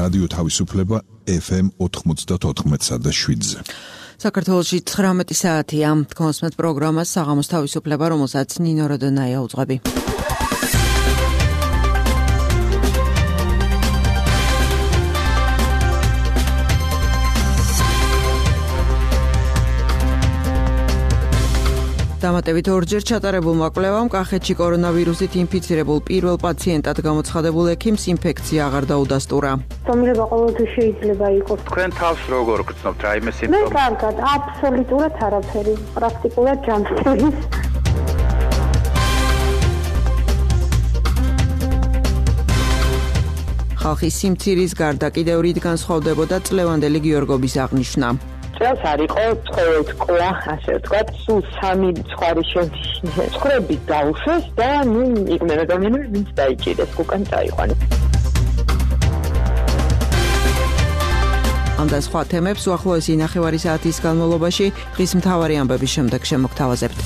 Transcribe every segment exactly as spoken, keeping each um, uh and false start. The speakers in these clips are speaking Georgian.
რადიო თავისუფლება ეფ ემ ოთხმოცდაოთხ და შვიდზე. საქართველოში ცხრამეტი საათია. გონსმეთ პროგრამას საღამოს თავისუფლება, რომელსაც ნინო როდონაია უძღვები. დამატებით ორჯერ ჩატარებულმა კვლევამ კახეთში კორონავირუსით ინფიცირებულ პირველ პაციენტად გამოცხადებულ ექიმს ინფექცია აღარ დაუდასტურა. Სომილება ყოველთვის შეიძლება იყოს. თქვენ თავს როგორ გწნობთ რაიმე სიმპტომი? მე კარგად, აბსოლუტურად არაფერი, პრაქტიკულად ჯანმრთელი. ხალხის სიმცირის გარდა კიდევ რით განსხვავდებოდა წლევანდელი გიორგობის აღნიშვნა. წელს არ იყო ცხოველთ ყვა, ასე ვთქვათ, სულ სამი ცხვარი ცხოვრები დაუშვეს და ნუ იყვნენ ადამიანები, ვინც დაიჭირეს, უკან წაიყვანეს. ამ და სხვა თემებს უახლოესი ნახევარი საათის განმავლობაში დღის მთავარი ამბების შემდეგ შემოგთავაზებთ.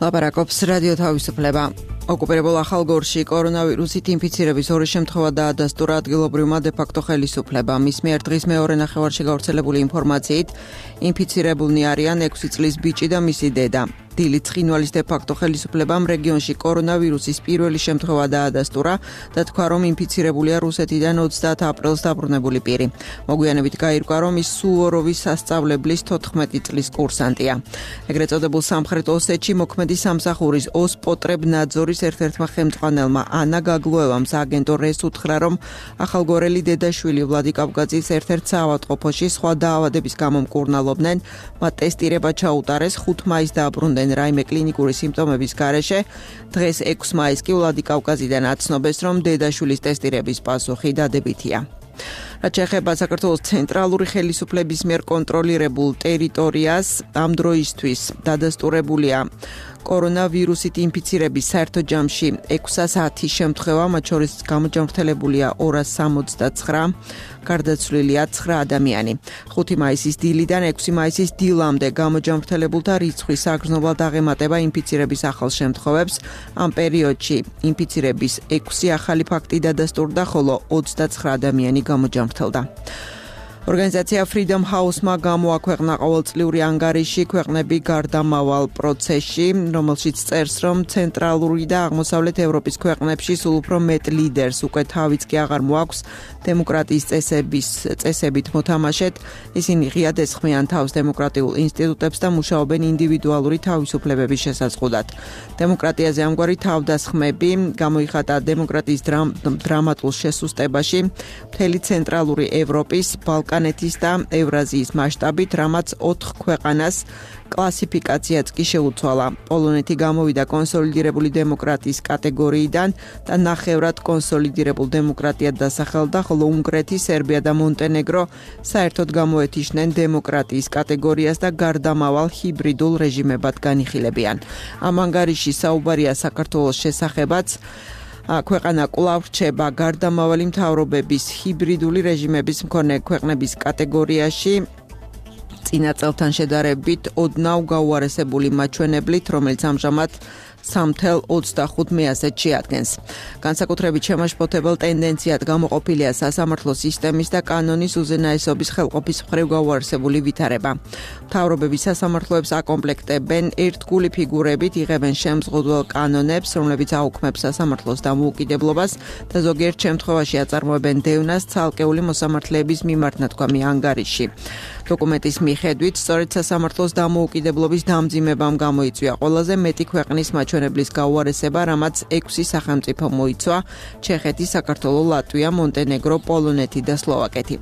ლაპარაკობს რადიო თავისუფლება. ოკუპირებულ ახალგორში კორონავირუსით ინფიცირების ორი შემთხვევა დაადასტურა ადგილობრივმა დე-ფაქტო ხელისუფლებამ. მის მიერ დღის მეორე ნახევარში გავრცელებული ინფორმაციით ინფიცირებულნი არიან ექვსი წლის ბიჭი და მისი დედა. დილით ცხინვალის დე-ფაქტო ხელისუფლებამ რეგიონში კორონავირუსის პირველი შემთხვევა დაადასტურა და თქვა, რომ ინფიცირებულია რუსეთიდან ოცდაათ აპრილს დაბრუნებული პირი. მოგვიანებით გაირკვა, რომ ის სუვოროვის სასწავლებლის თოთხმეტი წლის კურსანტია. ეგრეთ წოდებულ სამხრეთ ოსეთში მოქმედი სამსახურის ოსპოტრებნაძორის ერთ-ერთმა ხელმძღვანელმა ანა გაგლუევამ სააგენტო რეს უთხრა, რომ ახალგორელი დედაშვილი ვლადიკავკაძის ერთ-ერთ საავადმყოფოში სხვა დაავადების გამო მკურნალობდნენ, მათ ტესტირება ჩაუტარეს, ხუთ მაისს დააბრუნდნენ რაიმე კლინიკური სიმპტომების გარეშე. დღეს ექვსი მაისს კი ვლადიკავკაზიდან აცნობეს, რომ დედაშვილის ტესტირების პასუხი დადებითია. რაც შეეხება საქართველოს ცენტრალური ხელისუფლების მიერ კონტროლირებულ ტერიტორიას, ამ დროისთვის დადასტურებულია კორონავირუსით ინფიცირების საერთო ჯამში ექვსასი შემთხვევა, მათ შორის გამოჯანმრთელებულია ორას სამოცდაცხრა, გარდაცვლილია ცხრა ადამიანი. ხუთი მაისის დილიდან ექვსი მაისის დილამდე გამოჯანმრთელებულთა რიცხვის საგრძნობლად აღემატება ინფიცირების ახალ შემთხვევებს. ამ პერიოდში ინფიცირების ექვსი ახალი ფაქტი დადასტურდა, ხოლო ოცდაცხრა ადამიანი გამოჯანმრთელდა. ორგანიზაცია Freedom House-მა გამოაქვეყნა ყოველწლიური ანგარიში ქვეყნები გარდამავალ პროცესში, რომელშიც წერს, რომ ცენტრალური და აღმოსავლეთ ევროპის ქვეყნებში სულ უფრო მეტ ლიდერს უკვე თავიც კი აღარ მოაქვს დემოკრატიის წესების წესებით მოთამაშეთ. ისინი ღიად ესხმიან თავს დემოკრატიულ ინსტიტუტებს და მუშაობენ ინდივიდუალური თავისუფლებების შესაძლებლად. დემოკრატიაზე ამგვარი თავდასხმები გამოიხატა დემოკრატიის დრამ, დრამატულ შესუსტებაში მთელი ცენტრალური ევროპის, ბალკანეთის და ევრაზიის მასშტაბით, რამაც ოთხ ქვეყანას კლასიფიკაციაც კი შეუცვალა. პოლონეთი გამოვიდა კონსოლიდირებული დემოკრატიის კატეგორიიდან და ნახევრად კონსოლიდირებულ დემოკრატიად დასახელდა, ხოლო უნგრეთი, სერბია და მონტენეგრო საერთოდ გამოეთიშნენ დემოკრატიის კატეგორიას და გარდამავალ ჰიბრიდულ რეჟიმებად განიხილებიან. ამ ანგარიში საუბარია საქართველოს შესახებაც. ქვეყანა კვლავ რჩება გარდამავალი მთავრობების ჰიბრიდული რეჟიმების მქონე ქვეყნების კატეგორიაში. წინა წელთან შედარებით ოდნავ გაუარესებული მაჩვენებლით, რომელიც ამჟამად სამი წუთი ოცდახუთ მეათს შეადგენს. განსაკუთრებით შემაშფოთებელ ტენდენციად გამოყოფილია სასამართლო სისტემის და კანონის უზენაესობის ხელყოფის მხრივ გაუარესებული ვითარება. მთავრობები სასამართლოებს აკომპლექტებენ ერთგული ფიგურებით, იღებენ შემზღუდველ კანონებს, რომლებიც აუქმებს სასამართლოს დამოუკიდებლობას და ზოგიერთ შემთხვევაში აწარმოებენ დევნას ცალკეული მოსამართლეების მიმართ, ნათქვამი ანგარიში. დოკუმენტის მიხედვით, სწორედ სასამართლოს დამოუკიდებლობის დამძიმებამ გამოიწვია ყველაზე მეტი ქვეყნის მაჩვენებლის გაუარესება, რამაც ექვსი სახელმწიფო მოიცვა: ჩეხეთი, საქართველო, ლატვია, მონტენეგრო, პოლონეთი და სლოვაკეთი.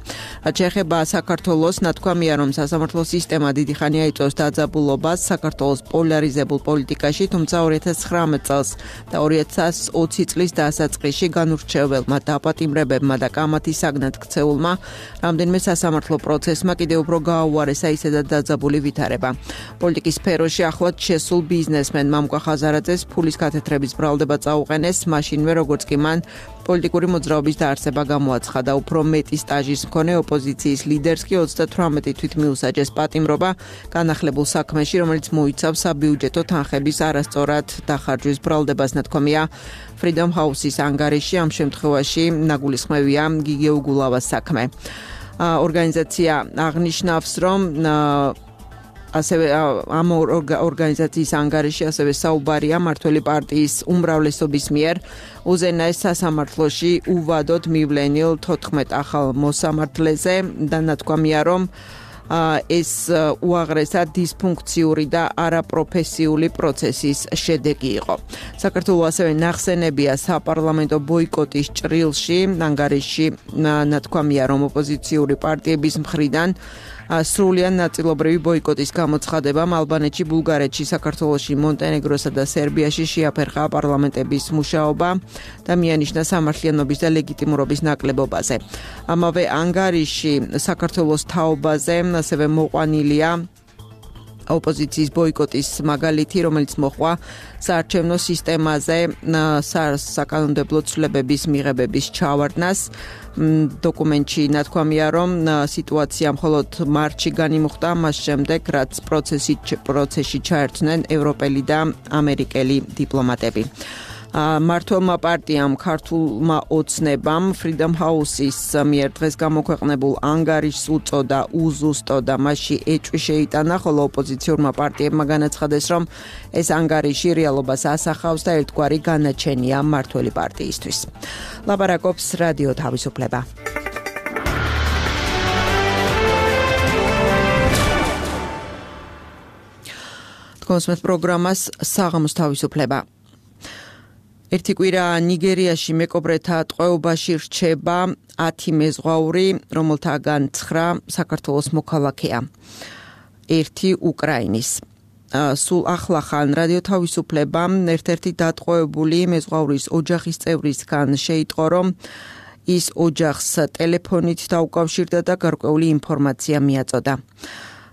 რაც შეეხება საქართველოს, ნათქვამია, რომ სასამართლო სისტემა დიდი ხანია იწვევს დაძაბულობას საქართველოს პოლარიზებულ პოლიტიკაში, თუმცა ორი ათას ცხრამეტ წელს და ორი ათას ოცი წლის დასაწყისში განურჩეველმა დაპატიმრებებმა და კამათის საგნად ქცეულმა რამდენიმე სასამართლო პროცესმა კიდევ უფრო გააუარესა ისედაც დაძაბული ვითარება. პოლიტიკის სფეროში ახლად შესულ ბიზნესმენმა მამუკა ხაზარაძეს ფულის კათედრების ბრალდება წაუყენეს, მაშინვე როგორც კი მან პოლიტიკური მოძრაობის დაარსება გამოაცხადა. უფრო მეტი სტაჟის მქონე ოპოზიციის ლიდერს კი ოცდათვრამეტი თვით მიუსაჯეს პატიმრობა განახლებულ საქმეში, რომელიც მოიცავს საბიუჯეტო თანხების არასწორად დახარჯვის ბრალდებას, ნათქვამია Freedom House-ის ანგარიში. ამ შემთხვევაში ნაგულისხმევია გიგე უგულავას საქმე. ორგანიზაცია აღნიშნავს, რომ ასევე ამ ორგანიზაციის ანგარიში ასევე საუბარია მმართველი პარტიის უმრავლესობის მიერ უზენაეს სასამართლოში უვადოდ მივლენილ თოთხმეტ ახალ მოსამართლეზე და ნათქვამია, რომ ეს უაღრესად დისფუნქციური და არაპროფესიული პროცესის შედეგი იყო. საქართველოს ასევე ნახსენებია საპარლამენტო ბოიკოტის ჭრილში, ანგარიში ნათქვამია, რომ ოპოზიციური პარტიების მხრიდან სრულიად ნაწილობრივი ბოიკოტის გამოცხადებამ ალბანეთში, ბულგარეთში, საქართველოში, მონტენეგროსა და სერბიაში შეაფერხა პარლამენტების მუშაობა და მიანიშნა სამართლიანობის და ლეგიტიმურობის ნაკლებობაზე. ამავე ანგარიში საქართველოს თაობაზე ასევე მოყვანილია ოპოზიციის ბოიკოტის მაგალითი, რომელიც მოხდა საარჩევნო სისტემაზე საკანონმდებლო ცვლილებების მიღებების ჩავარდნას. დოკუმენტში ნათქვამია, რომ სიტუაცია მხოლოდ მარტში განიმუხტა, მას შემდეგ, რაც პროცესში ჩაერთნენ ევროპელი და ამერიკელი დიპლომატები. მმართველმა პარტიამ ქართულმა ოცნებამ Freedom House-ის მიერ დღეს გამოქვეყნებულ ანგარიშს უწოდა უზუსტო და მასში ეჭვი შეიტანა, ხოლო ოპოზიციურმა პარტიებმა განაცხადეს, რომ ეს ანგარიში რეალობას ასახავს და ერთგვარი განაჩენია მმართველი პარტიისთვის. ლაპარაკობს რადიო თავისუფლება. თქვენს პროგრამას საღამოს თავისუფლება. ერთი კვირა ნიგერიაში მეკობრეთა ტყვეობაში რჩება ათი მეზღვაური, რომელთაგან ცხრა საქართველოს მოქალაქეა, ერთი უკრაინის. სულ ახლახან რადიო თავისუფლებამ ერთ-ერთი დატყვევებული მეზღვაურის ოჯახის წევრისგან შეიტყო, რომ ის ოჯახს ტელეფონით დაუკავშირდა და გარკვეული ინფორმაცია მიაწოდა.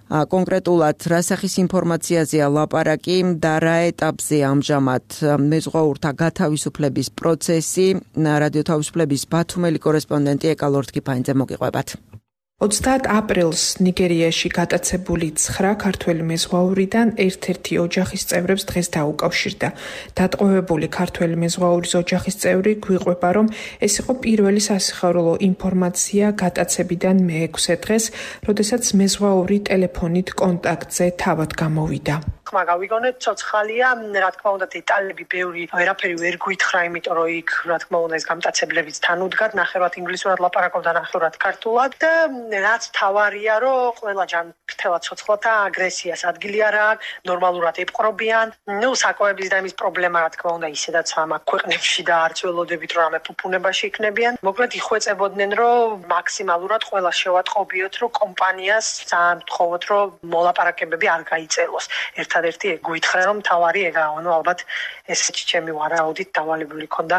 კონკრეტულად რა სახის ინფორმაციაზეა ლაპარაკი და რა ეტაპზე ამჟამად მეზღვაურთა გათავისუფლების პროცესი, რადიო თავისუფლების ბათუმელი კორესპონდენტი ეკალორდ კიფაინძე მოგიყვებათ. ოცდაათ აპრილს ნიგერიაში გატაცებული ცხრა ქართველი მეზღვაურიდან ერთ-ერთი ოჯახის წევრებს დღეს დაუკავშირდა. დატყვევებული ქართველი მეზღვაურის ოჯახის წევრი გვიყვება, რომ ეს იყო პირველი სასიხარულო ინფორმაცია გატაცებიდან მეექვსე დღეს, როდესაც მეზღვაური ტელეფონით კონტაქტზე თავად გამოვიდა. ხმა გავიგონეთ, ცოცხალია, რა თქმა უნდა, დეტალები ბევრი ვერაფერი ვერ გვითხრა, იმიტომ რომ იქ რა თქმა უნდა ეს გამტაცებლებიც თან უდგათ, ნახევრად ინგლისურად ლაპარაკობდა, ნახევრად ქართულად და რაც თავარია, რომ ყველა ჯანმრთელად ცოცხლათა აგრესიას ადგილი არ აქვს, ნორმალურად ეპყრობიან. ნუ საკოების და იმის პრობლემა რა თქმა უნდა ისედაც ამაკ ქვეყნებში და არც ველოდებით რომ ამე ფუფუნებაში იქნებიან. მოკლედ იხვეწებოდნენ, რომ მაქსიმალურად ყველა შევატყობიოთ, რომ კომპანიას ძალიან ვთხოვოთ, რომ მოლაპარაკებები არ გაიწელოს. ერთადერთი გვითხრა, რომ თავარი ეგაა, ანუ ალბათ ეს ჩემი ვარაუდით დავალებული ქონდა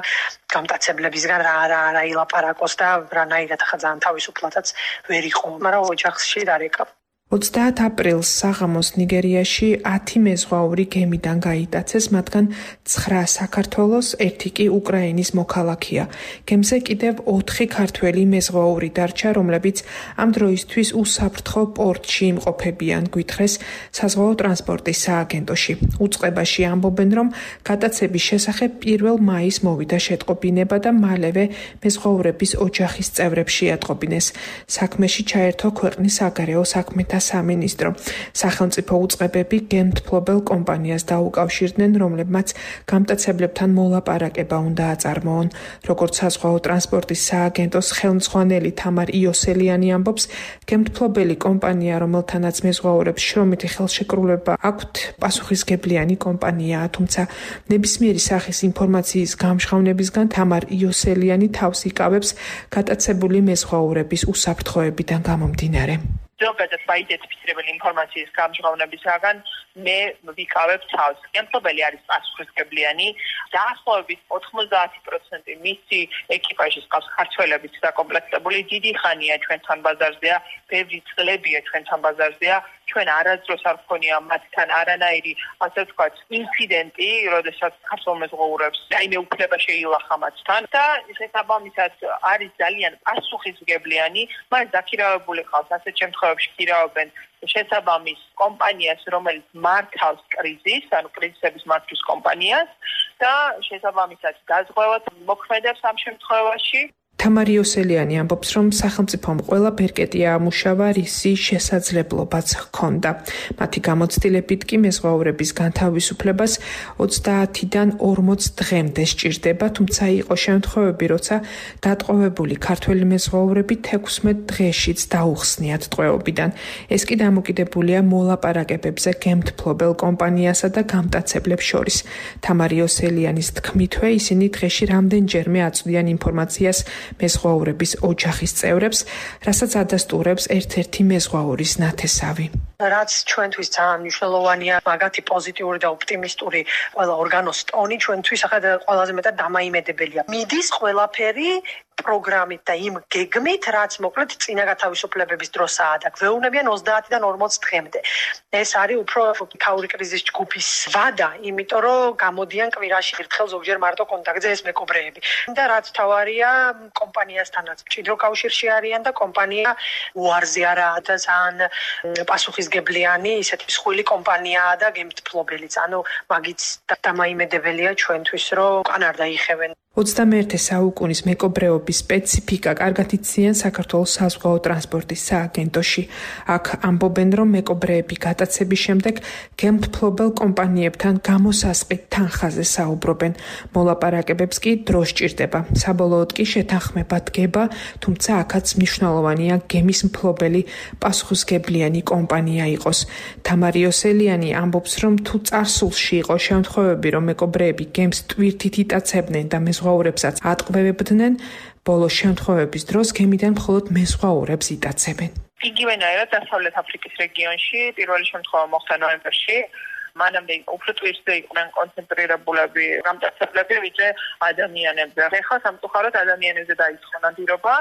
გამტაცებლებისგან რა რა რა ილაპარაკოს და რანაირად ხა ძალიან თავისუფლადაც ვერ იყო, მაგრამ ოჯახში დარეკა. ოცდაათ აპრილს საღამოს ნიგერიაში ათი მეზღვაური გემიდან გაიტაცეს, მათგან ცხრა საქართველოს, ერთი კი უკრაინის მოქალაქეა. გემზე კიდევ ოთხი ქართველი მეზღვაური დარჩა, რომლებიც ამ დროისთვის უსაფრთხო პორტში იმყოფებიან, გვითხრეს საზღვაო ტრანსპორტის სააგენტოში. უწყებაში ამბობენ, რომ გატაცების შესახებ პირველ მაისს მოვიდა შეტყობინება და მალევე მეზღვაურების ოჯახის წევრებს შეატყობინეს. საქმეში ჩაერთო ქვეყნის საგარეო საქმეთა სამინისტრო. სახელმწიფო უწყებები გემთფლობელ კომპანიას დაუკავშირდნენ, რომლებმაც გამტაცებლებთან მოლაპარაკება უნდა აწარმოონ. როგორც საზღვაო ტრანსპორტის სააგენტოს ხელმძღვანელი თამარ იოსელიანი ამბობს, გემთფლობელი კომპანია, რომელთანაც მეზღვაურებს შრომითი ხელშეკრულება აქვთ, პასუხისგებლიანი კომპანიაა, თუმცა ნებისმიერი სახის ინფორმაციის გამჟღავნებისგან თამარ იოსელიანი თავს იკავებს გატაცებული მეზღვაურების უსაფრთხოებიდან გამომდინარე. ზოგადად მაიდენტიფიცირებელი ინფორმაციის გამჟღავნებისაგან მე ვიკავებ თავს. გემთობელი არის პასუხისგებლიანი, დაახლოებით ოთხმოცდაათი პროცენტი მისი ეკიპაჟის ყავს ქართველებით დაკომპლექტებული, დიდი ხანია ჩვენთან ბაზარზეა, ბევრი წლებია ჩვენთან ბაზარზეა, ჩვენ არასდროს არ გქონია მათთან არანაირი, ასე ვთქვათ, ინციდენტი, როდესაც ქართულ მეზღვაურებს რაიმე უფლება შეილახა მათთან და შესაბამისად არის ძალიან პასუხისმგებლიანი, მას დაქირავებული ყავს ასეთ შემთხვევებში ქირავენ შესაბამის კომპანიას, რომელიც მართავს კრიზისს, ანუ კრიზისების მართვის კომპანიას და შესაბამისად დაზღვევად მოქმედებს ამ შემთხვევაში. თამარი ოსელიანი ამბობს, რომ სახელმწიფომ ყველა ბერკეტი აამუშავა, რისი შესაძლებლობაც ჰქონდა. მათი გამოცდილებით კი მეზღვაურების განთავისუფლებას ოცდაათიდან ორმოც დღემდე სჭირდება, თუმცა იყო შემთხვევები, როცა დატყვევებული ქართველი მეზღვაურები თექვსმეტ დღეშიც დაუხსნიათ ტყვეობიდან. ეს კი დამოკიდებულია მოლაპარაკებებზე გემთფლობელ კომპანიასა და გამტაცებლებს შორის. თამარი ოსელიანის თქმითვე, ისინი დღეში რამდენჯერმე აწვდიან ინფორმაციას მეზღვაურების ოჯახის წევრებს, რასაც ადასტურებს ერთ-ერთი მეზღვაურის ნათესავი. რაც ჩვენთვის ძალიან მნიშვნელოვანია, მაგათი პოზიტიური და ოპტიმისტური ყველა ორგანოს ტონი ჩვენთვის ახლა ყველაზე მეტად დამაიმედებელია. მიდის ყველაფერი პროგრამით და იმ გეგმით, რაც მოკლედ წინა გათავისუფლებების დროსაა და გვეუბნებიან ოცდაათიდან ორმოც დღემდე. ეს არის უფრო ქაური კრიზისის ჯგუფის ვადა, იმიტომ რომ გამოდიან კვირაში ერთხელ ზოგჯერ მარტო კონტაქტზე ეს მეკობრეები. და რაც თავარია, კომპანიასთანაც მჭიდრო კავშირში არიან და კომპანია უარზე არაა და ძალიან პასუხისმგებლიანი, ისეთი მსხვილი კომპანიაა და გემთფლობელიც. ანუ მაგიც დამაიმედებელია ჩვენთვის, რომ კან არ დაიხევენ. ოცდამეერთე საუკუნის მეკობრეობის სპეციფიკა კარგად იციან საქართველოს საზღვაო ტრანსპორტის სააგენტოში. აქ ამბობენ, რომ მეკობრეები გატაცების შემდეგ გემთფლობელ კომპანიებთან გამოსასყიდ თანხაზე საუბრობენ. მოლაპარაკებებს კი დრო სჭირდება. საბოლოოდ კი შეთანხმება დგება, თუმცა აქაც მნიშვნელოვანია გემის მფლობელი პასუხისმგებლიანი კომპანია იყოს. თამარი ოსელიანი ამბობს, რომ თუ წარსულში იყო შემთხვევები, რომ მეკობრეები გემს ტვირთით იტაცებდნენ და მეზღვაურებსაც ატყვევებდნენ, ბოლო შემთხვევების დროს გემიდან მხოლოდ მეზღვაურებს იტაცებენ. იგივენაირად დასავლეთ აფრიკის რეგიონში პირველი შემთხვევა მოხდა ნოემბერში. მანამდე უფრო ტვირთზე იყვნენ კონცენტრირებულები გამტაცებლები, ვიდრე ადამიანებზე. ეხლა სამწუხაროდ ადამიანებზე დაიწყო ნადირობა.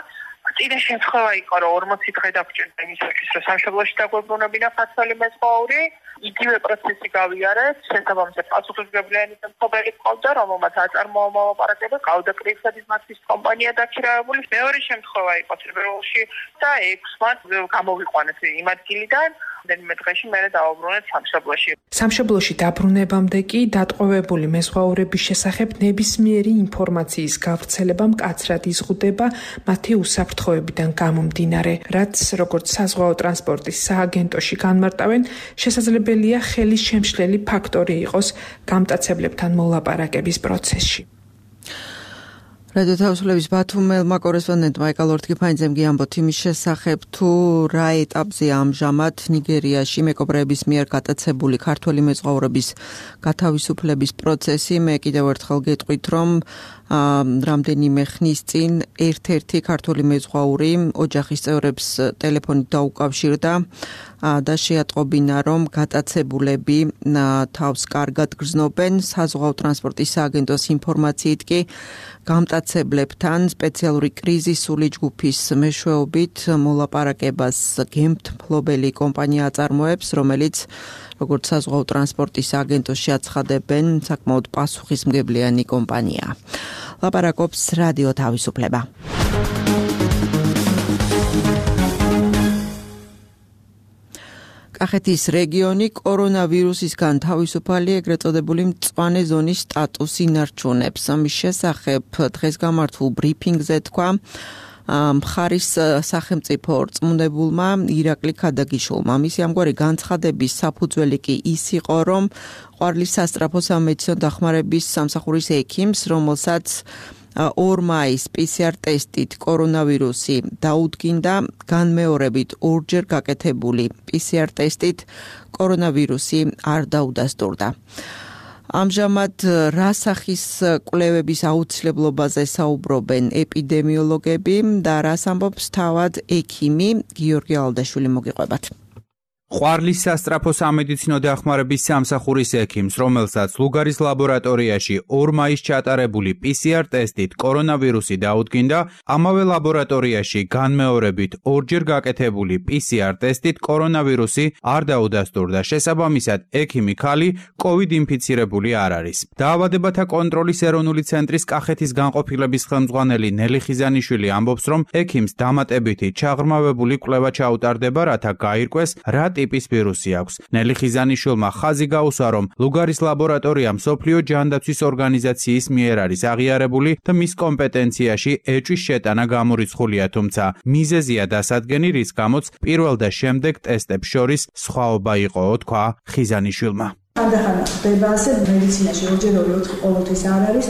წინა შემთხვევა იყო, რომ ორმოცი დღე დაგჭირდა იმისათვის, რომ სამშობლოში დაგვებრუნებინა ქართველი მეზღვაური. იგივე პროცესი გავიარეთ, შესაბამისად პასუხისმგებლიანი მფლობელი ყავდა, რომელმაც აწარმოა მოლაპარაკება, ყავდა კრიზისების მართვის კომპანია დაქირავებული. მეორე შემთხვევა იყო თებერვალში და ექვსმად გამოვიყვანეს იმ ადგილიდან. რამდენიმე დღეში მერე დავაბრუნეთ სამშობლოში. სამშობლოში დაბრუნებამდე კი დატყვევებული მეზღვაურების შესახებ ნებისმიერი ინფორმაციის გავრცელება მკაცრად იზღუდება მათი უსაფრთხოებიდან გამომდინარე, რაც როგორც საზღვაო ტრანსპორტის სააგენტოში განმარტავენ, შესაძლებელია ხელის შემშლელი ფაქტორი იყოს გამტაცებლებთან მოლაპარაკების პროცესში. რადიო თავისუფლების ბათუმელმა კორესპონდენტმა ეკალორთ გიფანიძემ გიამბოთ იმის შესახებ, თუ რა ეტაპზეა ამჟამად ნიგერიაში მეკობრეების მიერ გატაცებული ქართველი მეზღვაურების გათავისუფლების პროცესი. მე კიდევ ერთხელ გეტყვით, რომ რამდენიმე ხნის წინ ერთ-ერთი ქართული მეზღვაური ოჯახის წევრებს ტელეფონით დაუკავშირდა და შეატყობინა, რომ გატაცებულები თავს კარგად გრძნობენ. საზღვაო ტრანსპორტის სააგენტოს ინფორმაციით კი გამტაცებლებთან სპეციალური კრიზისული ჯგუფის მეშვეობით მოლაპარაკებას გემთფლობელი კომპანია აწარმოებს, რომელიც როგორც საზღვაო ტრანსპორტის სააგენტოში აცხადებენ, საკმაოდ პასუხისმგებლიანი კომპანიაა. ლაპარაკობს რადიო თავისუფლება. კახეთის რეგიონი კორონავირუსისგან თავისუფალი ეგრეთ წოდებული მწვანე ზონის სტატუსს ინარჩუნებს. ამის შესახებ დღეს გამართულ ბრიფინგზე თქვა მხარის სახელმწიფო რწმუნებულმა ირაკლი ქადაგიშვილმა. მისი ამგვარი განცხადების საფუძველი კი ის იყო, რომ ყვარლის სასწრაფო სამედიცინო დახმარების სამსახურის ექიმს, რომელსაც ორ მაის პი სი არ ტესტით კორონავირუსი დაუდგინდა, განმეორებით ორჯერ გაკეთებული პი სი არ ტესტით კორონავირუსი არ დაუდასტურდა. ამჟამად რა სახის კვლევების აუცილებლობაზე საუბრობენ ეპიდემიოლოგები და რას ამბობს თავად ექიმი გიორგი ალდაშვილი, მოგიყვებათ. ყვარლის სასწრაფო სამედიცინო დახმარების სამსახურის ექიმს, რომელსაც ლუგარის ლაბორატორიაში ორ მაისს ჩატარებული პი სი არ ტესტით კორონავირუსი დაუდგინდა, ამავე ლაბორატორიაში განმეორებით ორჯერ გაკეთებული პი სი არ ტესტით კორონავირუსი არ დაუდასტურდა. შესაბამისად, ექიმი ქალი კოვიდ ინფიცირებული არ არის. დაავადებათა კონტროლის ეროვნული ცენტრის კახეთის განყოფილების ხელმძღვანელი ნელი ხიზანიშვილი ამბობს, რომ ექიმს დამატებითი ჩაღრმავებული კვლევა ჩაუტარდება, რათა გაირკვეს რა ტიპის ვირუსი აქვს. ნელი ხიზანიშვილმა ხაზი გაუსვა, რომ ლუგარის ლაბორატორია მსოფლიო ჯანდაცვის ორგანიზაციის მიერ არის აღიარებული და მის კომპეტენციაში ეჭვის შეტანა გამორიცხულია, თუმცა მიზეზია დასადგენი, რის გამოც პირველ და შემდეგ ტესტებს შორის სხვაობა იყო, თქვა ხიზანიშვილმა. ხანდახან ხდება ასე მედიცინაში ორჯერ ორი ოთხი ყოველთვის არ არის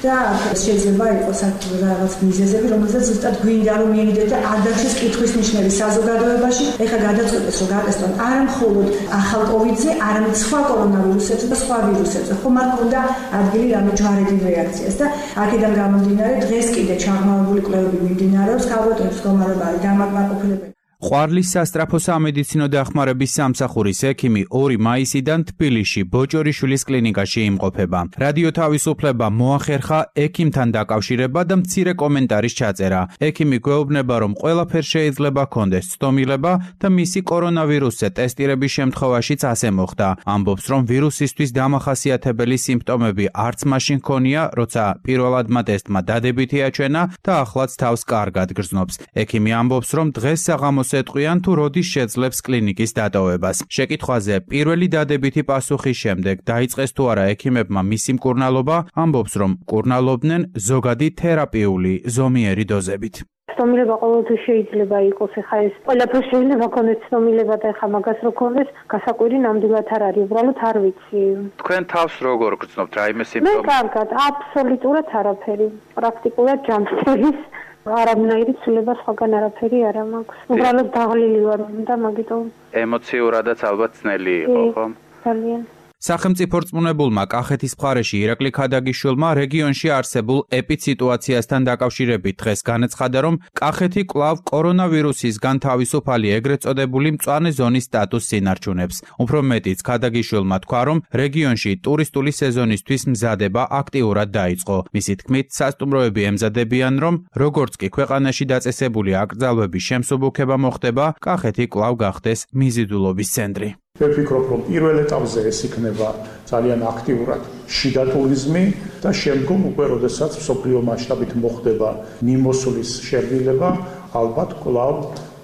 და შეიძლება იყოს რაღაც მიზეზები, რომელსაც ზუსტად გვინდა რომ მიენიდეთ და არ დარჩეს კითხვის ნიშნები საზოგადოებაში. ეხლა გადაწყვეტეს რომ გატესტონ არა მხოლოდ ახალ კოვიდზე, არამედ სხვა კორონავირუსებზე და სხვა ვირუსებზე. ხომ არ ქონდა ადგილი რამე ჯვარედინ რეაქციას და აქედან გამომდინარე დღეს კიდე ჩაღრმავებული კვლევები მიმდინარეობს, ქალბატონის მდგომარეობა არის დამაკმაყოფილებელი. ყვარლის სასწრაფო სამედიცინო დახმარების სამსახურის ექიმი ორი მაისიდან თბილისში ბოჭორიშვილის კლინიკაში იმყოფება. რადიო თავისუფლება მოახერხა ექიმთან დაკავშირება და მცირე კომენტარის ჩაწერა. ექიმი გვეუბნება, რომ ყველაფერს შეიძლება ჰქონდეს ცდომილება და მისი კორონავირუსზე ტესტირების შემთხვევაშიც ასე მოხდა. ამბობს, რომ ვირუსისთვის დამახასიათებელი სიმპტომები არც მაშინ ჰქონია, როცა პირველადმა ტესტმა დადებითი აჩვენა და ახლაც თავს კარგად გრძნობს. ექიმი ამბობს, რომ დღეს საღამოს ეტყვიან თუ როდის შეძლებს კლინიკის დატოვებას. შეკითხვაზე პირველი დადებითი პასუხის შემდეგ დაიწყეს თუ არა ექიმებმა მისი მკურნალობა, ამბობს, რომ მკურნალობდნენ ზოგადი თერაპიული ზომიერი დოზებით. ცდომილება ყოველთვის შეიძლება იყოს, ეხლა ეს ყველაფერს შეიძლება ქონდეს ცდომილება და ეხლა მაგას რო ქონდეს, გასაკვირი ნამდვილად არ არის, უბრალოდ არ ვიცი. თქვენ თავს როგორ გრძნობთ, რაიმე მე სიმპტომი? კარგად, აბსოლუტურად არაფერი. პრაქტიკულად ჯანმრთელის არამნაირი ცვლილება სხვაგან არაფერი არ მაქვს. უბრალოდ დაღლილი ვარ და მაგიტომ ემოციურადაც ალბათ ძნელი იყო, ხო? ძალიან. სახელმწიფო რწმუნებულმა კახეთის მხარეში ირაკლი ქადაგიშვილმა რეგიონში არსებულ ეპიდსიტუაციასთან დაკავშირებით დღეს განაცხადა, რომ კახეთი კვლავ კორონავირუსისგან თავისუფალი ეგრეთ წოდებული მწვანე ზონის სტატუსს ინარჩუნებს. უფრო მეტიც, ქადაგიშვილმა თქვა, რომ რეგიონში ტურისტული სეზონისთვის მზადება აქტიურად დაიწყო. მისი თქმით, სასტუმროები ემზადებიან, რომ როგორც კი ქვეყანაში დაწესებული აკრძალვების შემსუბუქება მოხდება, კახეთი კვლავ გახდეს მიზიდულობის ცენტრი. მე ვფიქრობ, რომ პირველ ეტაპზე ეს იქნება ძალიან აქტიურად შიდა ტურიზმი და შემდგომ უკვე როდესაც მსოფლიო მასშტაბით მოხდება მიმოსვლის შერბილება, ალბათ კვლავ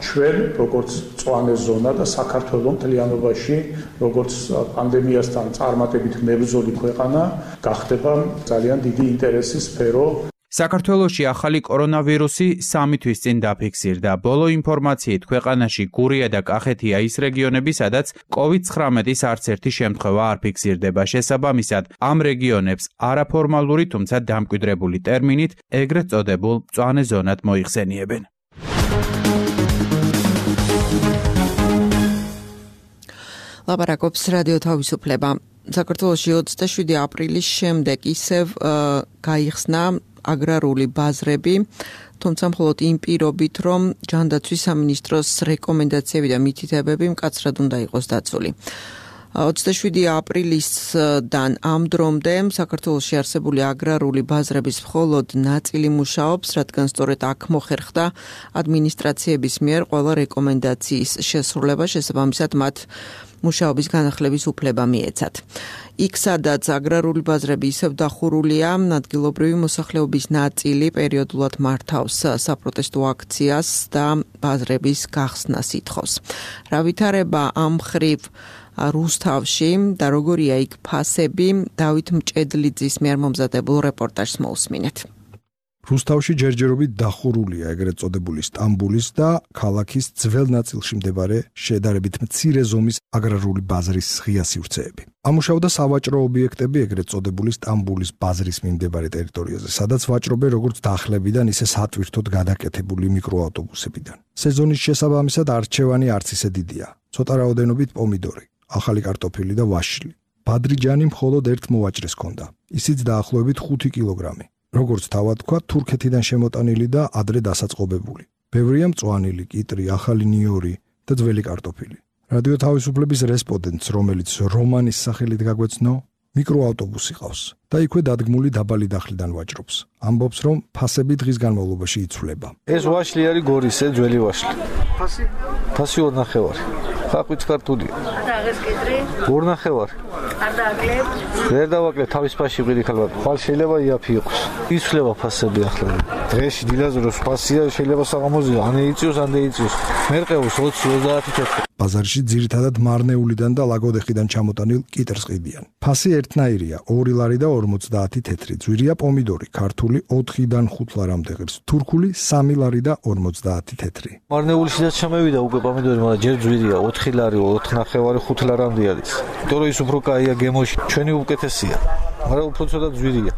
ჩვენ როგორც მწვანე ზონა და საქართველოს მთლიანობაში როგორც პანდემიასთან წარმატებით მებრძოლი ქვეყანა გახდება ძალიან დიდი ინტერესის სფერო. საქართველოში ახალი კორონავირუსი სამი თვის წინ დაფიქსირდა. ბოლო ინფორმაციით ქვეყანაში გურია და კახეთია ის რეგიონები, სადაც კოვიდ ცხრამეტის არც ერთი შემთხვევა არ ფიქსირდება. შესაბამისად, ამ რეგიონებს არაფორმალური, თუმცა დამკვიდრებული ტერმინით ეგრეთ წოდებულ მწვანე ზონად მოიხსენიებენ. ლაპარაკობს რადიო თავისუფლება. საქართველოში ოცდაშვიდი აპრილის შემდეგ ისევ გაიხსნა აგრარული ბაზრები, თუმცა მხოლოდ იმ პირობით, რომ ჯანდაცვის სამინისტროს რეკომენდაციები და მითითებები მკაცრად უნდა იყოს დაცული. ოცდაშვიდი აპრილისდან ამ დრომდე საქართველოში არსებული აგრარული ბაზრების მხოლოდ ნაწილი მუშაობს, რადგან სწორედ აქ მოხერხდა ადმინისტრაციების მიერ ყველა რეკომენდაციის შესრულება, შესაბამისად მათ მუშაობის განახლების უფლება მიეცათ. იქ, სადაც აგრარული ბაზრები ისევ დახურულია, ადგილობრივი მოსახლეობის ნაწილი პერიოდულად მართავს საპროტესტო აქციას და ბაზრების გახსნას ითხოვს. რა ვითარება ამ მხრივ რუსთავში და როგორია იქ ფასები, დავით მჭედლიძის მიერ მომზადებულ რეპორტაჟს მოусმინეთ. რუსთავში ჯერჯერობით დახურულია ეგრეთ წოდებული სტამბულის და ქალაქის ძველ ნაწილში მდებარე შედარებით მცირე ზომის აგრარული ბაზრის ღია სივრცეები. ამუშავდა სავაჭრო ობიექტები ეგრეთ წოდებული სტამბულის ბაზრის მიმდებარე ტერიტორიაზე, სადაც ვაჭრობენ როგორც დახლებიდან, ისე სატვირთოდ გადაკეთებული მიკროავტობუსებიდან. სეზონის შესაბამისად არჩევანი არც ისე დიდია. ცოტა რაოდენობით პომიდორი, ახალი კარტოფილი და ვაშლი. ბადრიჯანი მხოლოდ ერთ მოვაჭრეს ჰქონდა. ისიც დაახლოებით ხუთი კილოგრამი. როგორც თავად თქვა, თურქეთიდან შემოტანილი და ადრე დასაწყობებული. ბევრია მწვანილი, კიტრი, ახალი ნიორი და ძველი კარტოფილი. რადიო თავისუფლების რესპონდენტს, რომელიც რომანის სახელით გაგვეცნო, მიკროავტობუსი ყავს და იქვე დადგმული დაბალი დახლიდან ვაჭრობს. ამბობს, რომ ფასები დღის განმავლობაში იცვლება. ეს ვაშლი არის გორისე, ძველი ვაშლი. ფასი? ფასი ორ ნახევარი. ხახვით ქართულია. და აღეს კედრი? ორ ნახევარი. არ დააკლებ? ვერ დავაკლებ, თავის ფასში ვიყიდე ხალხად. ხვალ შეიძლება იაფი იყოს. იცვლება ფასები ახლა. დღეში დილაზროს ფასია შეიძლება საღამოზე ან იწიოს, ან დაიწიოს. მერყეობს ოცი ოცდაათი თეთრი. ბაზარში ძირითადად მარნეულიდან და ლაგოდეხიდან ჩამოტანილ კიტრს ყიდიან. ფასი ერთნაირია, ორი ლარი და ორმოცდაათი თეთრი. ძვირია პომიდორი, ქართული ოთხიდან ხუთ ლარამდე ღირს, თურქული სამი ლარი და ორმოცდაათი თეთრი. მარნეულიშიდაც ჩამევიდა უკვე პომიდორი, მაგრამ ჯერ ძვირია, ოთხი ლარი, ოთხ ნახევარი, ხუთ ლარამდე არის. იმიტომ რომ ის უფრო კაია გემოში, ჩვენი უკეთესია. მაგრამ უფრო ცოტა ძვირია.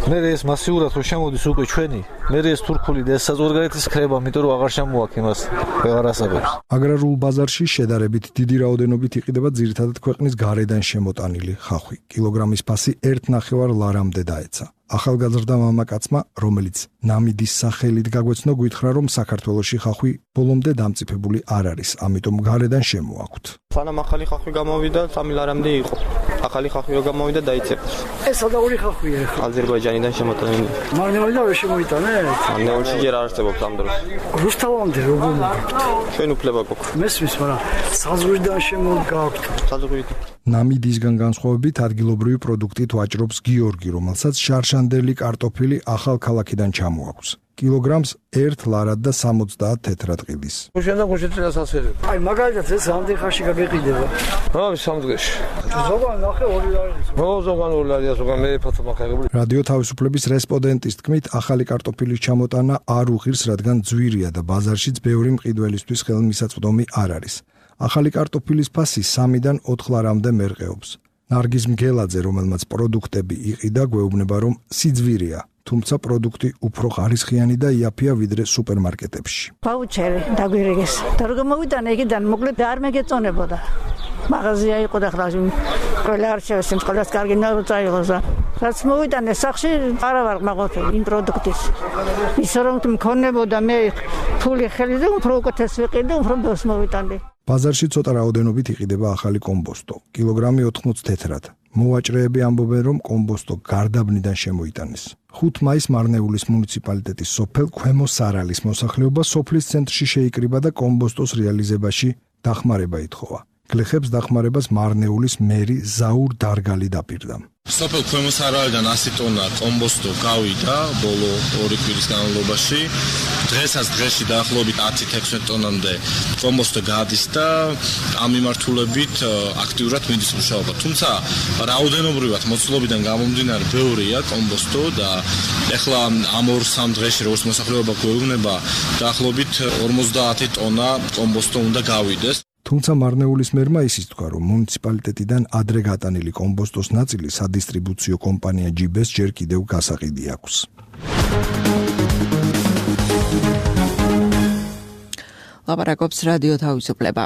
მე ეს მასიურად რო შემოდის უკვე ჩვენი, მე ეს თურქული და ეს საზღვარგარეთის ხრება, იმიტომ რომ აღარ შემოაქვს იმას ვეღარ ასაბებს. აგრარულ ბაზარში შედარებით დიდი რაოდენობით იყიდება ძირითადად ქვეყნის გარედან შემოტანილი ხახვი. კილოგრამის ფასი ერთ ნახევარ ლარამდე დაეცა. ახალგაზრდა მამაკაცმა, რომელიც ნამიდის სახელით გაგვეცნო, გითხრა, რომ საქართველოში ხახვი ბოლომდე დამწიფებული არ არის, ამიტომ გარედან შემოაქვთ. სანამ ახალი ხახვი გამოვიდა, სამი ლარამდე იყო. ახალი ხახვი რო გამოვიდა, დაიწეპა. ეს სადაური ხახვია ახლა. აზერბაიჯანიდან შემოტანილი. მარნეულიდან ვერ შემოიტანეთ? მარნეულში ჯერ არ არსებობს ამ დროს. რუსთავამდე როგორ? ჩვენ უფლება გვაქვს. მესმის, მაგრამ საზღვრიდან შემოგაქვთ. საზღვრიდან. ნამიდისგან განსხვავებით ადგილობრივი პროდუქტით ვაჭრობს გიორგი, რომელსაც შარშანდელი კარტოფილი ახალ ქალაქიდან ჩამოაქვს. კილოგრამს ერთ ლარად და სამოცდაათ თეთრად ყიდის. შენდა გუშეთრას ასერებ. აი მაგალითად ეს ამდენ ხანში გაგეყიდება. რა სამ დღეში. ზოგან ნახე ორი ლარი. ო ზოგან ორი ლარი, ზოგან მე ფოთო მახერებული. რადიო თავისუფლების რესპონდენტის თქმით, ახალი კარტოფილის ჩამოტანა არ უღირს, რადგან ძვირია და ბაზარშიც ბევრი მყიდველისთვის ხელმისაწვდომი არ არის. ახალი კარტოფილის ფასი სამიდან ოთხ ლარამდე მერყეობს. ნარგიზ მგელაძე, რომელმაც პროდუქტები იყიდა, გვეუბნება, რომ სიძვირია, თუმცა პროდუქტი უფრო ხარისხიანი და იაფია ვიდრე სუპერმარკეტებში. ვაუჩერი დაგვირიგეს. და როგორ მოვიტანე იქიდან, მოკლედ არ მეგეწონებოდა. მაღაზია იყო და ხლა ყველა არჩევს, ყველას კარგი ნაუცა იყოს. რაც მოვიტანე სახში, არა ვარ მაყოფილი იმ პროდუქტის. ისე რომ მქონებოდა მე ფული ხელი და უფრო უკეთეს ვიყიდე, უფრო ბევრს მოვიტანე. ბაზარში ცოტა რაოდენობით იყიდება ახალი კომბოსტო, კილოგრამი ოთხმოც თეთრად. მოვაჭრეები ამბობენ, რომ კომბოსტო გარდაბნიდან შემოიტანეს. ხუთ მაისს მარნეულის მუნიციპალიტეტის სოფელ ქვემო სარალის მოსახლეობა სოფლის ცენტრში შეიკრიბა და კომბოსტოს რეალიზებაში დახმარება ითხოვა. გლეხებს დახმარებას მარნეულის მერი ზაურ დარგალი დაპირდა. სოფელ ქვემო სარალიდან ასი ტონა კომბოსტო გავიდა ბოლო ორი კვირის განმავლობაში. დღესაც დღეში დაახლოებით ათი თექვსმეტი ტონამდე კომბოსტო გადის და ამ მიმართულებით აქტიურად მიდის მუშაობა. თუმცა რაოდენობრივად მოცულობიდან გამომდინარე ბევრია კომბოსტო და ეხლა ამ ორ სამ დღეში როგორც მოსახლეობა გვეუბნება დაახლოებით ორმოცდაათი ტონა კომბოსტო უნდა გავიდეს. თუმცა მარნეულის მერმა ისიც თქვა, რომ მუნიციპალიტეტიდან ადრე გატანილი კომბოსტოს ნაწილი სადისტრიბუციო კომპანია ჯიბეს ჯერ კიდევ გასაყიდი აქვს. ლაპარაკობს რადიო თავისუფლება.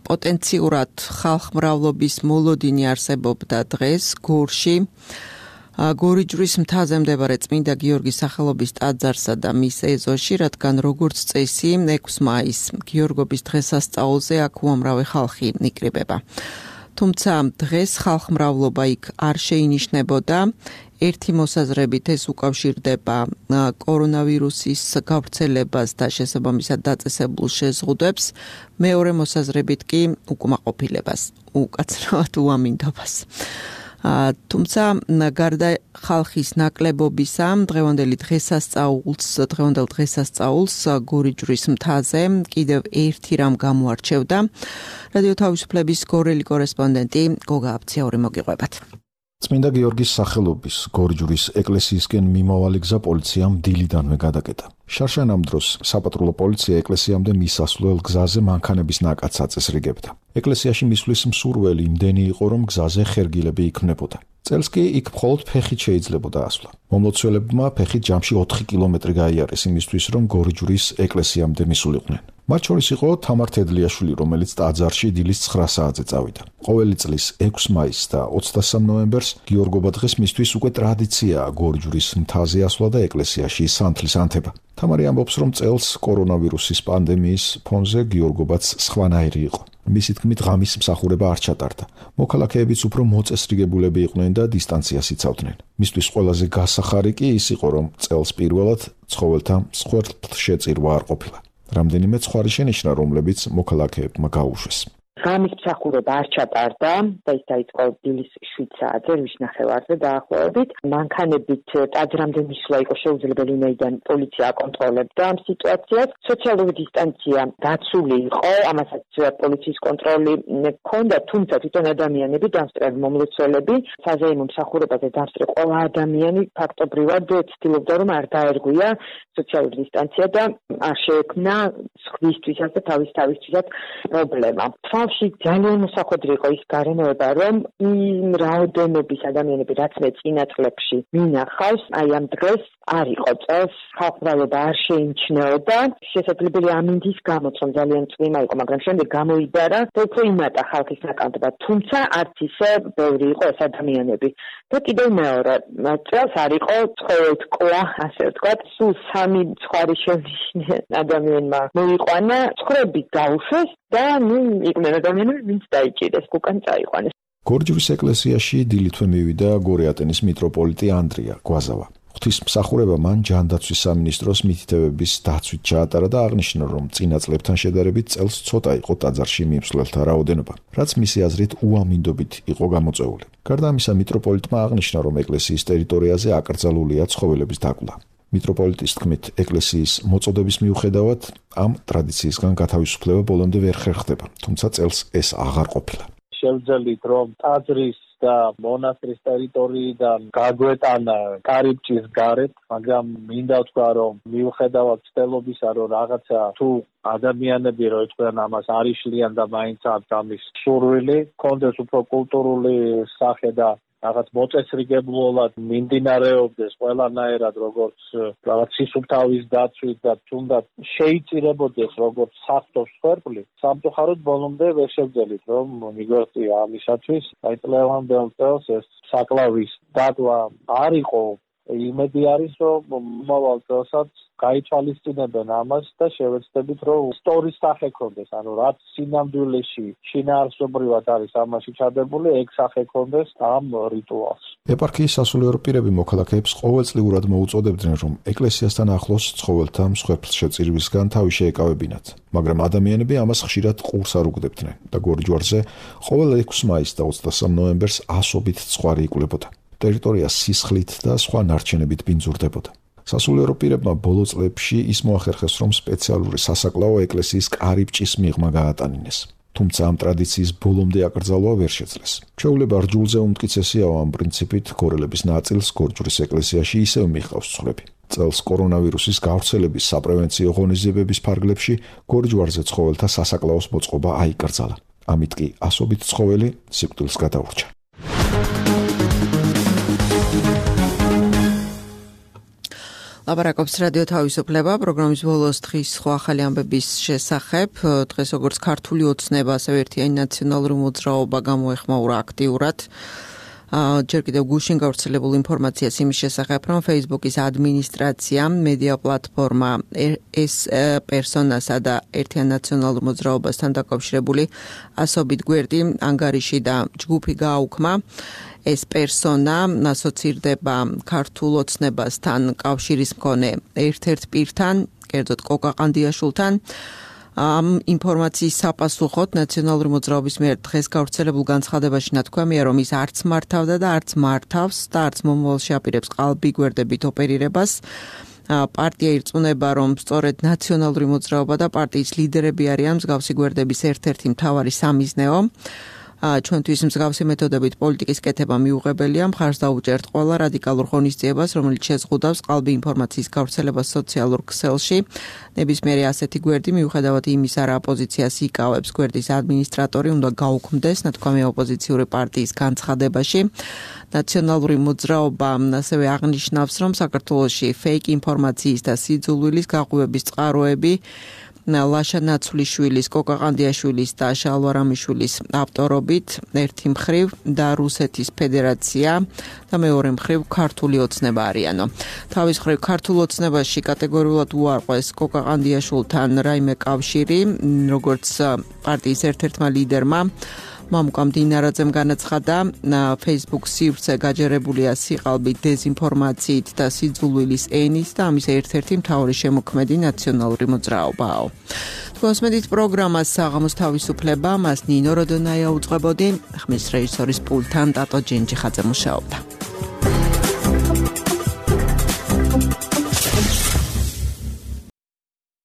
პოტენციურად ხალხმრავლობის მოლოდინი არსებობდა დღეს გორში. გორიჯვრის მთაზე მდებარე წმინდა გიორგის სახელობის ტაძარსა და მის ეზოში, რადგან როგორც წესი, ექვსი მაისს გიორგობის დღესასწაულზე აქ უამრავი ხალხი იკრიბება. თუმცა დღეს ხალხმრავლობა იქ არ შეინიშნებოდა. ერთი მოსაზრებით ეს უკავშირდება კორონავირუსის გავრცელებას და შესაბამისად დაწესებულ შეზღუდვებს, მეორე მოსაზრებით კი უკმაყოფილებას, უკაცრავად უამინდობას. თუმცა გარდა ხალხის ნაკლებობისა, დღევანდელი დღესასწაულს, დღევანდელ დღესასწაულს გორიჯვრის მთაზე კიდევ ერთი რამ გამოარჩევდა. რადიო თავისუფლების გორელი კორესპონდენტი გოგა აბციური მოგიყვებათ. წმინდა გიორგის სახელობის გორიჯვრის ეკლესიისკენ მიმავალი გზა პოლიციამ დილიდანვე გადაკეტა. შარშან ამ დროს საპატრულო პოლიცია ეკლესიამდე მისასვლელ გზაზე მანქანების ნაკადს აწესრიგებდა. ეკლესიაში მისვლის მსურველი იმდენი იყო, რომ გზაზე ხერგილები იქმნებოდა. წელს კი იქ მხოლოდ ფეხით შეიძლებოდა ასვლა. მომლოცველებმა ფეხით ჯამში ოთხი კილომეტრი გაიარეს იმისთვის, რომ გორიჯვრის ეკლესიამდე მისულიყვნენ. მათ შორის იყო თამარ თედლიაშვილი, რომელიც ტაძარში დილის ცხრა საათზე წავიდა. ყოველი წლის ექვსი მაისს და ოცდასამი ნოემბერს გიორგობა დღეს მისთვის უკვე ტრადიციაა გორჯვრის მთაზე ასვლა და ეკლესიაში სანთლის ანთება. თამარი ამბობს, რომ წელს კორონავირუსის პანდემიის ფონზე გიორგობაც სხვანაირი იყო. მისი თქმით, ღამის მსახურება არ ჩატარდა. მოქალაქეებიც უფრო მოწესრიგებულები იყვნენ და დისტანციას იცავდნენ. მისთვის ყველაზე გასახარი კი ის იყო, რომ წელს პირველად ცხოველთა მსხვერპლშეწირვა არ ყოფილა. რამდენიმე ცხვარი შენიშნა, რომლებიც მოქალაქეებმა გაუშვეს. ღამის მსახურება არ ჩატარდა და ის დაიწყო დილის შვიდ საათზე, რის ნახევარზე დაახლოებით. მანქანებით ტაძრამდე მისვლა იყო შეუძლებელი, ვინაიდან პოლიცია აკონტროლებდა ამ სიტუაციას. სოციალური დისტანცია დაცული იყო, ამასაც პოლიციის კონტროლი ჰქონდა, თუმცა თვითონ ადამიანები, დამსწრები მომლოცველები, საზეიმო მსახურებაზე დამსწრე ყველა ადამიანი ფაქტობრივად ცდილობდა, რომ არ დაერგვია სოციალური დისტანცია და არ შეექმნა სხვისთვისაც და თავის თავისთვისაც პრობლემა. თავში ძალიან მოსახვედრი იყო ის გარემოება, რომ იმ რაოდენობის ადამიანები, რაც მე წინა წლებში მინახავს, აი ამ დღეს არ იყო წელს, ხალხმრავლობა არ შეიმჩნეოდა. შესაძლებელია ამინდის გამოც, რომ ძალიან წვიმა იყო, მაგრამ შემდეგ გამოიდარა და უფრო იმატა ხალხის ნაკლებად, თუმცა არც ისე ბევრი იყო ეს ადამიანები. და კიდევ მეორე, წელს არ იყო ცხოველთკლა, ასე ვთქვათ, სულ სამი ცხვარი შენიშნე ადამიანმა მოიყვანა, ცხრები გაუშვეს და ნუ იყვნენ ადამიანები, ვინც დაიჭირეს, უკან წაიყვანეს. გორჯვრის ეკლესიაში დილითვე მივიდა გორეატენის მიტროპოლიტი ანდრია გვაზავა. ღვთისმსახურება მან ჯანდაცვის სამინისტროს მითითებების დაცვით ჩაატარა და აღნიშნა, რომ წინა წლებთან შედარებით წელს ცოტა იყო ტაძარში მიმსვლელთა რაოდენობა, რაც მისი აზრით უამინდობით იყო გამოწვეული. გარდა ამისა, მიტროპოლიტმა აღნიშნა, რომ ეკლესიის ტერიტორიაზე აკრძალულია ცხოველების დაკლა. მიტროპოლიტის თქმით, ეკლესიის მოწოდების მიუხედავად ამ ტრადიციისგან გათავისუფლება ბოლომდე ვერ ხერხდება, თუმცა წელს ეს აღარ ყოფილა. შევძელით, რომ ტაძრის და მონასტრის ტერიტორიიდან გაგვეტანა კარიბჭის გარეთ, მაგრამ მინდა ვთქვა, რომ მიუხედავად ცდილობისა, რომ რაღაცა თუ ადამიანები რო ეთქვენ ამას არ იშლიან და მაინც აქვს ამის სურვილი, კონდეს უფრო კულტურული სახე და რაღაც მოწესრიგებლად მიმდინარეობდეს ყველანაირად, როგორც რაღაც სისუფთავის დაცვით და თუნდაც შეიწირებოდეს როგორც საქმის სფერული, სამწუხაროდ ბოლომდე ვერ შევძელით, რომ მიგვერწია ამისათვის, აი წლევანდელ წელს ეს საკლავის დაკლა არ იყო. იმედი არის, რომ მომავალ წელსაც გაითვალისწინებენ ამას და შევეცდებით, რომ სტორის სახე ქონდეს, ანუ რაც სინამდვილეში შინაარსობრივად არის ამაში ჩადებული, ეგ სახე ქონდეს ამ რიტუალს. ეპარქიის სასულიერო პირები მოქალაქეებს ყოველწლიურად მოუწოდებდნენ, რომ ეკლესიასთან ახლოს ცხოველთა მსხვერპლშეწირვისგან თავი შეეკავებინათ, მაგრამ ადამიანები ამას ხშირად ყურს არ უგდებდნენ და გორჯვარზე ყოველ ექვსი მაისს და ოცდასამი ნოემბერს ასობით ცხვარი იკვლევდა. ტერიტორია სისხლით და სხვა ნარჩენებით ბინძურდებოდა. სასულიერო პირებმა ბოლო წლებში ის მოახერხეს, რომ სპეციალური სასაკლაო ეკლესიის კარიბჭის მიღმა გაატანინეს. თუმცა ამ ტრადიციის ბოლომდე აკრძალვა ვერ შეძლეს. ჩვეულება რჯულზე უმტკიცესია ამ პრინციპით, გორელების ნაწილს გორჯვრის ეკლესიაში ისევ მიჰყავს ცხრები. წელს კორონავირუსის გავრცელების საპრევენციო ღონისძიებების ფარგლებში გორჯვარზე ცხოველთა სასაკლაოს მოწყობა აიკრძალა. ამით კი ასობით ცხოველი სიკვდილს გადაურჩა. ლაპარაკობს რადიო თავისუფლება, პროგრამის ბოლოს დღის სხვა ახალი ამბების შესახებ. დღეს როგორც ქართული ოცნება, ასევე ერთიანი ნაციონალური მოძრაობა გამოეხმაურა აქტიურად. ჯერ კიდევ გუშინ გავრცელებულ ინფორმაციას იმის შესახებ, რომ Facebook-ის ადმინისტრაცია, მედია პლატფორმა ეს პერსონასა და ერთიან ნაციონალურ მოძრაობასთან დაკავშირებული ასობით გვერდი, ანგარიში და ჯგუფი გააუქმა. ეს პერსონა ასოცირდება ქართულ ოცნებასთან კავშირის მქონე ერთ-ერთ პირთან, კერძოდ კოკა ყანდიაშვილთან. ამ ინფორმაციის საპასუხოდ ნაციონალური მოძრაობის მიერ დღეს გავრცელებულ განცხადებაში ნათქვამია, რომ ის არც მართავდა და არც მართავს და არც მომავალში აპირებს ყალბი გვერდებით ოპერირებას. პარტია ირწმუნება, რომ სწორედ ნაციონალური მოძრაობა და პარტიის ლიდერები არიან მსგავსი გვერდების ერთ-ერთი მთავარი სამიზნეო. ჩვენთვის მსგავსი მეთოდებით პოლიტიკის კეთება მიუღებელია, მხარს დაუჭერთ ყველა რადიკალურ ღონისძიებას, რომელიც შეზღუდავს ყალბი ინფორმაციის გავრცელებას სოციალურ ქსელში. ნებისმიერი ასეთი გვერდი, მიუხედავად იმისა, რა პოზიციას იკავებს გვერდის ადმინისტრატორი, უნდა გაუქმდეს, ნათქვამია ოპოზიციური პარტიის განცხადებაში. ნაციონალური მოძრაობა ასევე აღნიშნავს, რომ საქართველოში ფეიქ ინფორმაციის და სიძულვილის გაღვივების წყაროები ლაშა ნაცვლიშვილის, კოკა ყანდიაშვილის და შალვა რამიშვილის ავტორობით, ერთი მხრივ და რუსეთის ფედერაცია და მეორე მხრივ ქართული ოცნება არიანო. თავის მხრივ ქართულ ოცნებაში კატეგორიულად უარყვეს კოკა ყანდიაშვილთან რაიმე კავშირი, როგორც პარტიის ერთ-ერთმა ლიდერმა მამუკამ დინარაძემ განაცხადა, Facebook სივრცე გაჯერებულია სიყალბით, დეზინფორმაციით და სიძულვილის ენით და ამის ერთ-ერთი მთავარი შემოქმედი ნაციონალური მოძრაობაა. თქვენს მედით პროგრამას საღამოს თავისუფლება, მას ნინო როდონაია უძღვებოდი, ხმის რეჟისორის პულტთან ტატო ჯენჯიხაძე მუშაობდა.